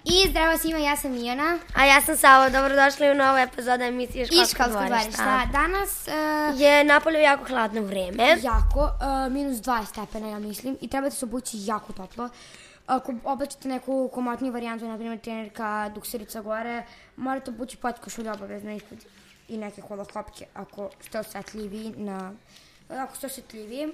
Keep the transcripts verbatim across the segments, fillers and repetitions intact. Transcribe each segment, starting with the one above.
I zdravo svima, ja sam Mijana. A ja sam Savo, dobrodošli u novu epizodu emisije Školsko dvorišta. Danas uh, je napolju jako hladno vreme. Jako, uh, minus dvadeset stepena, ja mislim. I trebate se obući jako toplo. Ako oblačite neku komotniju varijantu, na primjer trenerka, dukserica gore, morate obući potkošulju obavezno ispod i neke holoskopke ako ste osjetljiviji na... Ako ste osjetljiviji,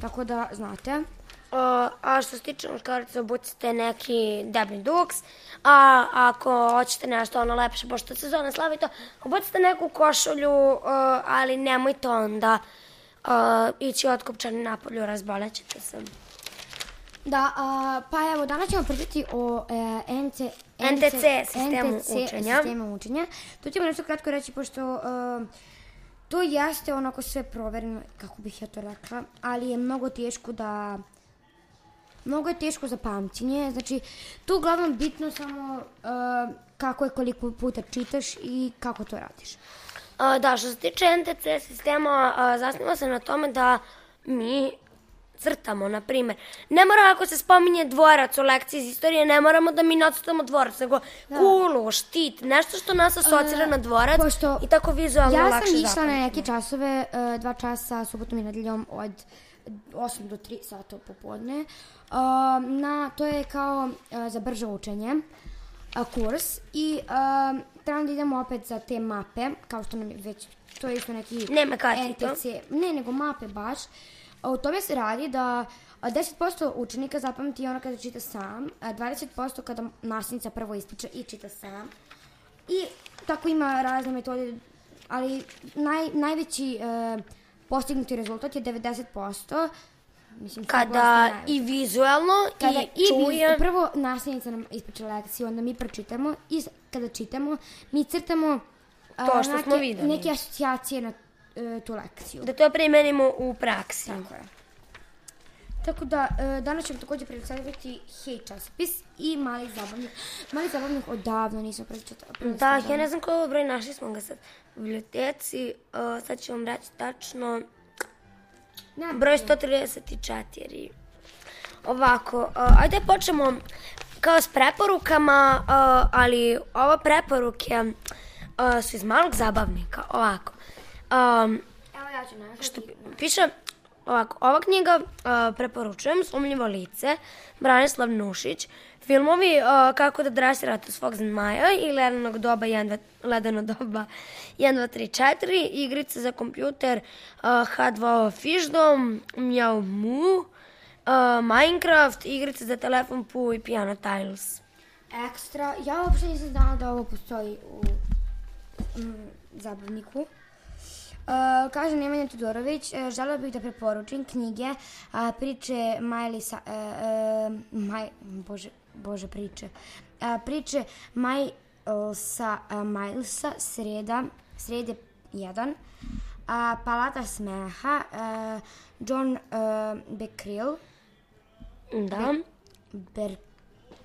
tako da znate. Uh, a što se tiče muškaraca, obucite neki deblji duks, a ako hoćete nešto ono lepše, pošto sezona slavi to, obucite neku košulju, uh, ali nemojte onda uh, ići otkopčani napolju, razbolećete se. Da, uh, pa evo, danas ćemo pričati o e, N C, N T C sistemu N T C učenja. sistemu učenja. To ćemo nešto kratko reći, pošto uh, to jeste onako sve provereno, kako bih ja to rekla, ali je mnogo teško da... Mnogo je teško za pamćenje, znači tu uglavnom bitno samo uh, kako je koliko puta čitaš i kako to radiš. A, da, što se tiče N T C sistema, a, zasniva se na tome da mi crtamo, na primjer. Ne mora ako se spominje dvorac u lekciji iz istorije, ne moramo da mi nacrtamo dvorac, nego da. Kulu, štit, nešto što nas asocira uh, na dvorac pošto i tako vizualno ja lakše sam zapamtimo. išla na neke časove, uh, dva časa subotom i nedeljom od osam do tri sata popodne. Uh, na, to je kao uh, za brže učenje uh, kurs i uh, trebamo da idemo opet za te mape, kao što nam je već, to je isto neki Nema N T C, ne nego mape baš. U tome se radi da deset posto učenika zapamti ono kada čita sam, dvadeset posto kada nastavnica prvo ispriča i čita sam. I tako ima razne metode, ali naj, najveći uh, postignuti rezultat je devedeset posto. Mislim, kada i vizualno kada i, i čujem. Prvo nastavnica nam ispriča lekciju, onda mi pročitamo i kada čitamo mi crtamo to što neke, smo videli. neke asocijacije na uh, tu lekciju. Da to primenimo u praksi. Tako je. Tako da, uh, danas ćemo također predstaviti Hej časopis i Mali zabavnik. Mali zabavnik odavno nisam pročitala. Da, ja ne znam koji je broj, našli smo ga sad u biblioteci. Uh, sad ću vam reći tačno. Ne, broj sto trideset četiri. Ovako, uh, ajde počnemo kao s preporukama, uh, ali ove preporuke uh, su iz Malog zabavnika. Ovako. Um, Evo ja ću našati. Što piše, ovako, ova knjiga uh, preporučujem Sumnjivo lice, Branislav Nušić, filmovi uh, Kako da dresirate svog zmaja i Ledenog doba jedan, Ledeno doba jedan, dva, tri, četiri, igrice za kompjuter uh, H dva O Fišdom, Mjau Mu, uh, Minecraft, igrice za telefon Pu i Piano Tiles. Ekstra, ja uopšte nisam znala da ovo postoji u mm, zabavniku. Uh, kaže Nemanja Todorović, uh, želela bih da preporučim knjige, uh, priče Majlisa, uh, uh, Maj, bože, bože priče, uh, priče Majlsa, uh, Majlsa, Sreda, Srede jedan, uh, Palata smeha, uh, John uh, Becquerel, Da. Be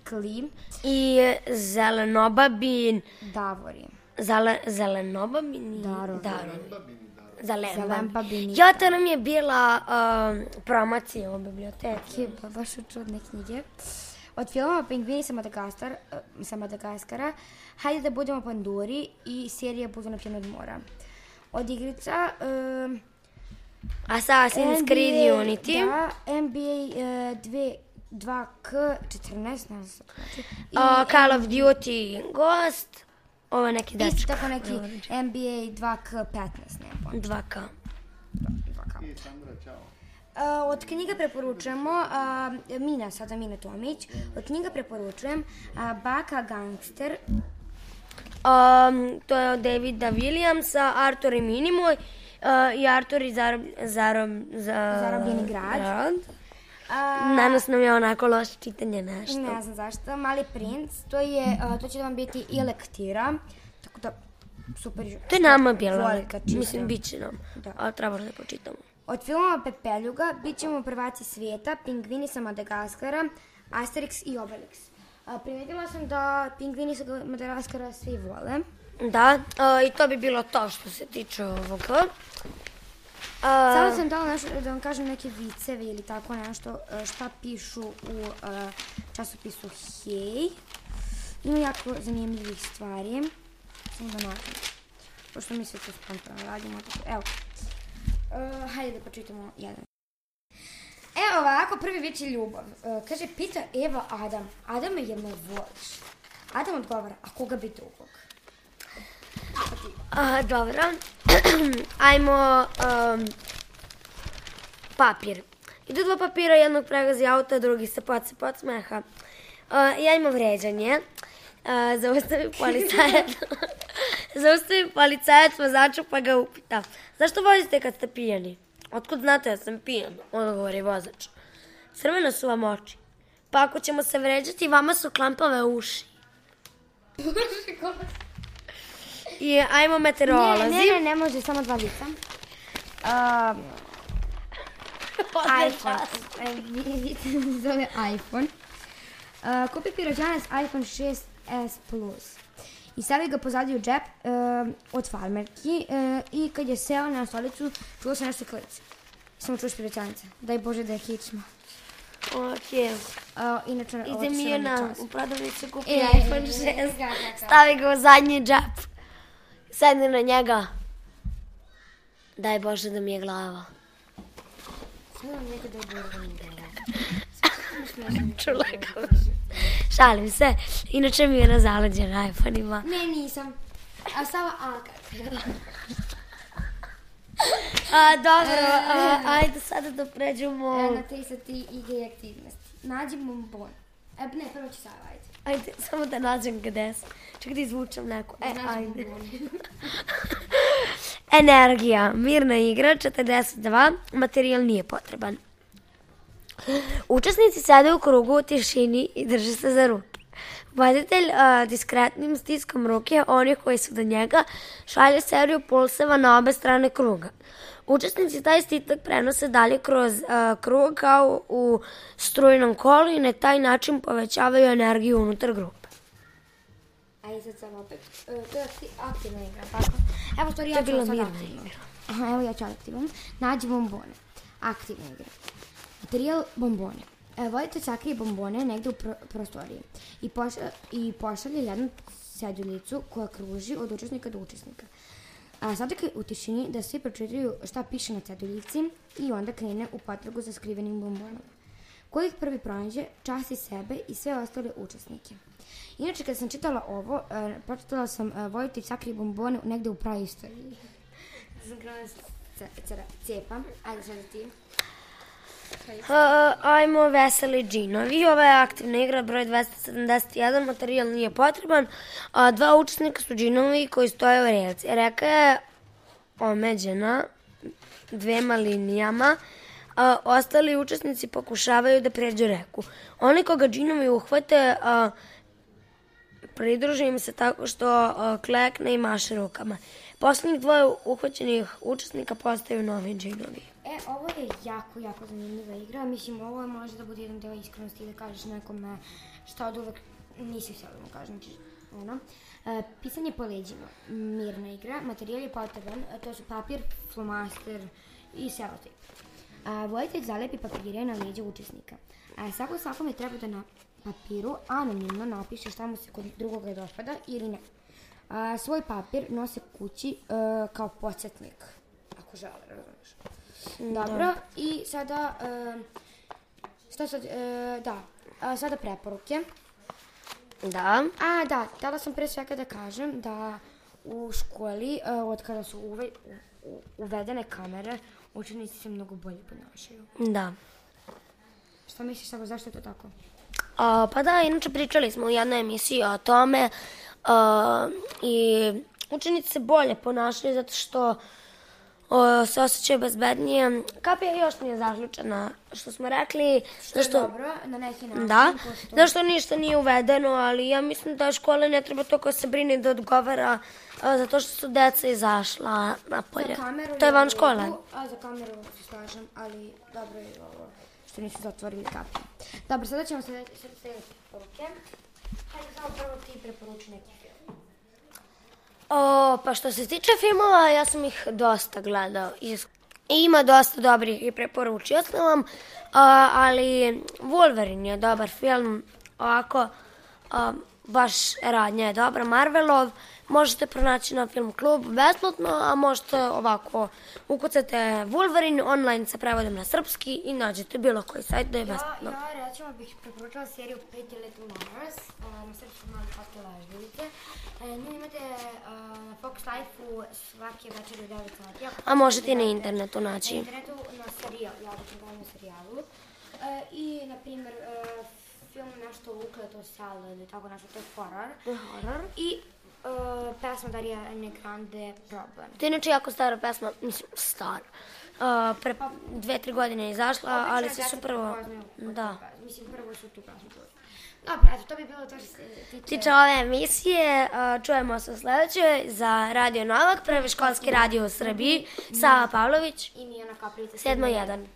Berkeley I Zelenobabin, Davori. Zale, Zelenobabin, Darovi. Darovi. Zelenbabin. Bini. Ja, to nam je bila uh, promocija u biblioteci. Pa baš su čudne knjige. Od filmova Pingvini sa, Madagaskar, uh, sa Madagaskara, Hajde da budemo panduri i serija Budu napljeni od mora. Od igrica uh, Assassin's Creed Unity. Da, N B A uh, dva K četrnaest, ne znam znači. I uh, Call of Duty Ghost. Ovo je neki dečko. Isto tako neki N B A dva K petnaest, ne znam. dva K. dva K. I Sandra, čao. Uh, od knjiga preporučujemo, uh, Mina, sada Mina Tomić, od knjiga preporučujem uh, Baka Gangster. Um, to je od Davida Williamsa, Artur i Minimoj uh, i Artur i zarob, zarob, za, Zarobljeni grad. grad. Uh, Danas nam je onako loše čitanje nešto. Ne znam zašto. Mali princ, to, je, uh, to će da vam biti i lektira, tako da super. To je nama bilo, čita. mislim, bit će nam, da. Ali treba da počitamo. Od filmova Pepeljuga bit ćemo prvaci svijeta, Pingvini sa Madagaskara, Asterix i Obelix. Uh, primetila sam da Pingvini sa Madagaskara svi vole. Da, uh, i to bi bilo to što se tiče ovoga. Uh, Sada sam dala nešto, da vam kažem neke vicevi ili tako nešto šta pišu u uh, časopisu Hej. Ima jako zanimljivih stvari. Samo da nađem. Pošto mi sve to spontano radimo. Evo. Uh, hajde da počitamo jedan. Evo ovako, prvi vič je ljubav. Uh, kaže, pita Eva Adam. Adame, jel me voliš? Adam odgovara, a koga bi drugog? A, dobro. Ajmo um, papir. Idu dva papira, jednog pregazi auta, drugi se poce pod smeha. Uh, ja imam vređanje. Uh, zaustavi policajac. Zaustavi policajac vozača pa ga upita. Zašto vozite kad ste pijani? Otkud znate da sam pijan? Odgovori vozač. Crvene su vam oči. Pa ako ćemo se vređati, vama su klampave uši. I ajmo meteorolozi. Ne, ne, ne, ne može, samo dva lica. Um, iPhone. Vidite, zove iPhone. Uh, kupi pirođanac iPhone šest S Plus. I stavi ga pozadnji u džep uh, od farmerki uh, i kad je seo na stolicu, čuo se nešto klice. Samo čuš pirođanaca. Daj Bože da je kičma. Ok. Uh, inače, ide Mijana u prodavnicu, kupi E, iPhone šest, da, da, da. stavi ga u zadnji džep, sedne na njega. Daj Bože da mi je glava. Sada vam nekada je Bože da mi je glava. Čula kao. Šalim se. Inače mi je na zaleđena iPhone-ima. Ne, nisam. A samo Alka. A, dobro, a, ajde sada da pređemo. E, na te sa ti igre i aktivnosti. Nađi bombon. E, ne, prvo ću sada, ajde. Ajde, samo da nađem gde sam. Čekaj da izvučem neku. E, Nađi ajde. bombon. Energija. Mirna igra, četrdeset dva. Materijal nije potreban. Učesnici sede u krugu u tišini i drže se za ruke. Voditelj a, diskretnim stiskom ruke onih koji su do njega šalje seriju pulseva na obe strane kruga. Učesnici taj stisak prenose dalje kroz a, krug kao u strujnom kolu i na taj način povećavaju energiju unutar grupe. Ajde sad sam opet. E, to je akti- aktivna igra, tako? Evo, stvari, ja To je ću bila sad mirna aktivno. igra. Aha, evo ja ću aktivno. Nađi bombone. Aktivna igra. Materijal bombone. E, vodite sakrije bombone negde u pro prostoriji i, pošalje, i pošalje jednu seduljicu koja kruži od učesnika do učesnika. A sada u tišini da svi pročitaju šta piše na seduljici i onda krene u potragu za skrivenim bombonom. Ko ih prvi pronađe, časti sebe i sve ostale učesnike. Inače, kada sam čitala ovo, e, pročitala sam e, voditelj sakrije bombone negde u praistoriji. Sam krenula da cepam. Ajde sada ti. Uh, ajmo veseli džinovi. Ova je aktivna igra, broj dvesta sedamdeset jedan, materijal nije potreban. A, dva učesnika su džinovi koji stoje u reci. Reka je omeđena dvema linijama. A, ostali učesnici pokušavaju da pređu reku. Oni koga džinovi uhvate, a, pridruže im se tako što a, klekne i maše rukama. Poslednjih dvoje uhvaćenih učesnika postaju novi džinovi. E, ovo je jako, jako zanimljiva igra. Mislim, ovo je može da bude jedan deo iskrenosti i da kažeš nekome šta od uvek nisi htjela da mu kažeš. Znači, ono. E, pisanje po leđima. Mirna igra. Materijal je potreban. To su papir, flomaster i selotip. Voditelj zalepi papire na leđa učesnika. A, svako svakome treba da na papiru anonimno napiše šta mu se kod drugoga dopada ili ne. A, svoj papir nose kući e, kao podsjetnik. Ako žele, razumiješ. Dobro, da. I sada, e, šta sad, e, da, a, sada preporuke. Da. A, da, htjela sam pre svega da kažem da u školi, e, od kada su uve, u, uvedene kamere, učenici se mnogo bolje ponašaju. Da. Šta misliš, Sabo, zašto je to tako? A, pa da, inače pričali smo u jednoj emisiji o tome a, i učenici se bolje ponašaju zato što o, se osjećaju bezbednije. Kapija još nije zaključena, što smo rekli. Što je što, dobro, na neki način. Da, zašto ništa nije uvedeno, ali ja mislim da škola ne treba toliko se brini da odgovara a, zato što su deca izašla napolje. To je van škole. A za kameru se slažem, ali dobro je ovo što nisu zatvorili kapiju. Dobro, sada ćemo se sljediti poruke. Hajde samo prvo ti preporuči neki film. O, pa što se tiče filmova, ja sam ih dosta gledao. I ima dosta dobrih i preporučio sam vam, a, ali Wolverine je dobar film. Ovako, a, baš radnja je dobra, Marvelov. Možete pronaći na Film klubu besplatno, a možete ovako ukucate Wolverine, online sa prevodom na srpski i nađete bilo koji sajt da je besplatno. Ja, ja recimo bih preporučila seriju Pretty Little Liars, na srpskom Mali slatke lažljivice. Nju imate na Fox Life-u svake večer u devet sati. A možete i na internetu naći. Na internetu, na serijal, ja bih gledala na serijalu. I, na primjer, film nešto ukleto selo ili tako nešto, to je horror. Horror. I Uh, pesma Ariane Grande Problem. To je inače jako stara pesma, mislim, stara. Uh, pre dve, tri godine je izašla, ali svi su prvo... Da. Mislim, prvo su tu pesmu čuli. Dobro, eto, to bi bilo to što se tiče... Tiče ove emisije, uh, čujemo se u sledećoj za Radio Novak, prvi školski radio u Srbiji, Sava Pavlović i Mijana Kaplica. sedam jedan.